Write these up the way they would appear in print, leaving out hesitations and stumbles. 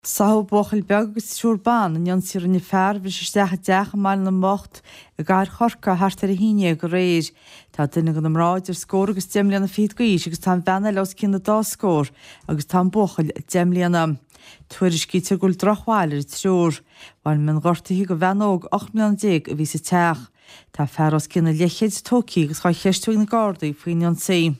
Sáthadh buachaill beag agus triúr ban in ionsaí a rinne fear a bhris isteach i dteach i mBaile na mBocht i gcathair Chorcaí thart ar 11 aréir. Tá duine de na mná idir scór agus deich mbliana fichead d'aois agus tá an bhean eile os cionn an dá scór agus tá an buachaill 10 mbliana. Tuairiscítear go bhfuil drochbhail ar an triúr. Bhain mionghortuithe do bhean óg 18 mbliana a bhí sa teach. Tá fear os cionn an leithchéid tógtha agus dhá cheistiú ag na Gardaí faoin ionsaí.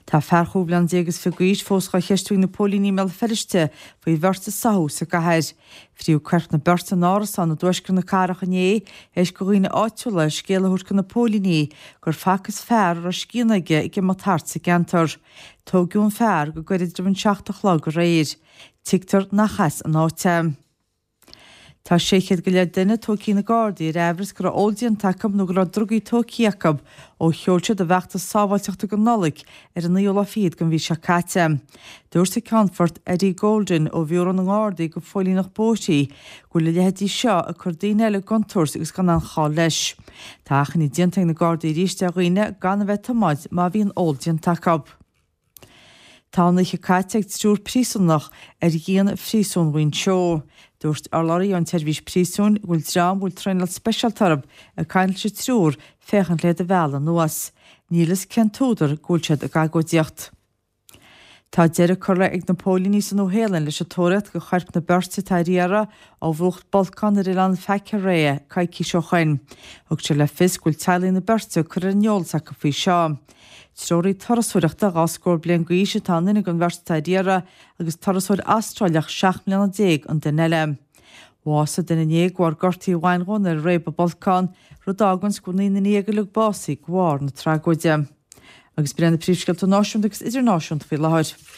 Tá fear chúig bhliana déag is fiche d'aois fós dhá cheistiú ag na póilíní i mBéal Feirste faoi bheirt a sáthadh sa gcathair. Frítheadh coirp na beirte in árasán i dtuaisceart na cathrach inné théis do dhaoine áitiúla scéal a thabhairt do na póilíní gur facthas fear a raibh scian aige ag imeacht thart sa gceantar. Tóigeadh an fear go gairid roimh an 7 a chlog aréir. Tuigtear nach as an áit é. Tá 600 go leith duine tógtha ag na Gardaí ar aimhreas go raibh ól déanta acu nó go raibh drugaí tógtha acu ó sheol siad a bhfeachtas sábháilteachta don Nollaig ar an naoú lá fichead den mhí seo caite. Dúirt an Ceannfort Eddie Golden ó Bhiúró na nGardaí do Phóilíneacht Bóithre go bhfuil a leithéidí seo ag cur daoine eile i gcontúirt agus gan aon chall leis. Tá achainí déanta ag na Gardaí arís ar dhaoine gan a bheith ag tiomáint má bhíonn ól déanta acu. Tá an oíche caite ag triúr príosúnach ar dhíon phríosún Mhuinseo. Dúirt urlabhraí ón tSeirbhís Príosúin go bhfuil dream a bhfuil traenáil speisialta orthu ag caint leis an triúr féachaint le iad a mhealladh anuas. Níl fhios cén t-údar go bhfuil siad ag agóidíocht. Tá deireadh curtha ag na póilíní sa Nua-Shéalainn leis an tóraíocht do choirp na beirte atá ar iarraidh ó mhúch bolcán ar oileán Whakareia coicís ó shoin. Thug sé le fios go bhfuil teaghlaigh na beirte curtha ar an eolas acu faoi seo. Treoraí turasóireachta 2 scór bliain d'aois atá i nduine den bheirt atá ar iarraidh agus turasóir Astráileach 17 mbliana an duine eile. Bhásaigh duine inné de bharr gortaithe a bhain dhó nuair a réab an bolcán, rud a fháganns go bhfuil 19 nduine uilig básaithe de bharr na tragóide. Agus b'in iad na príomhscéalta náisiúnta agus idirnáisiúnta faoi láthair.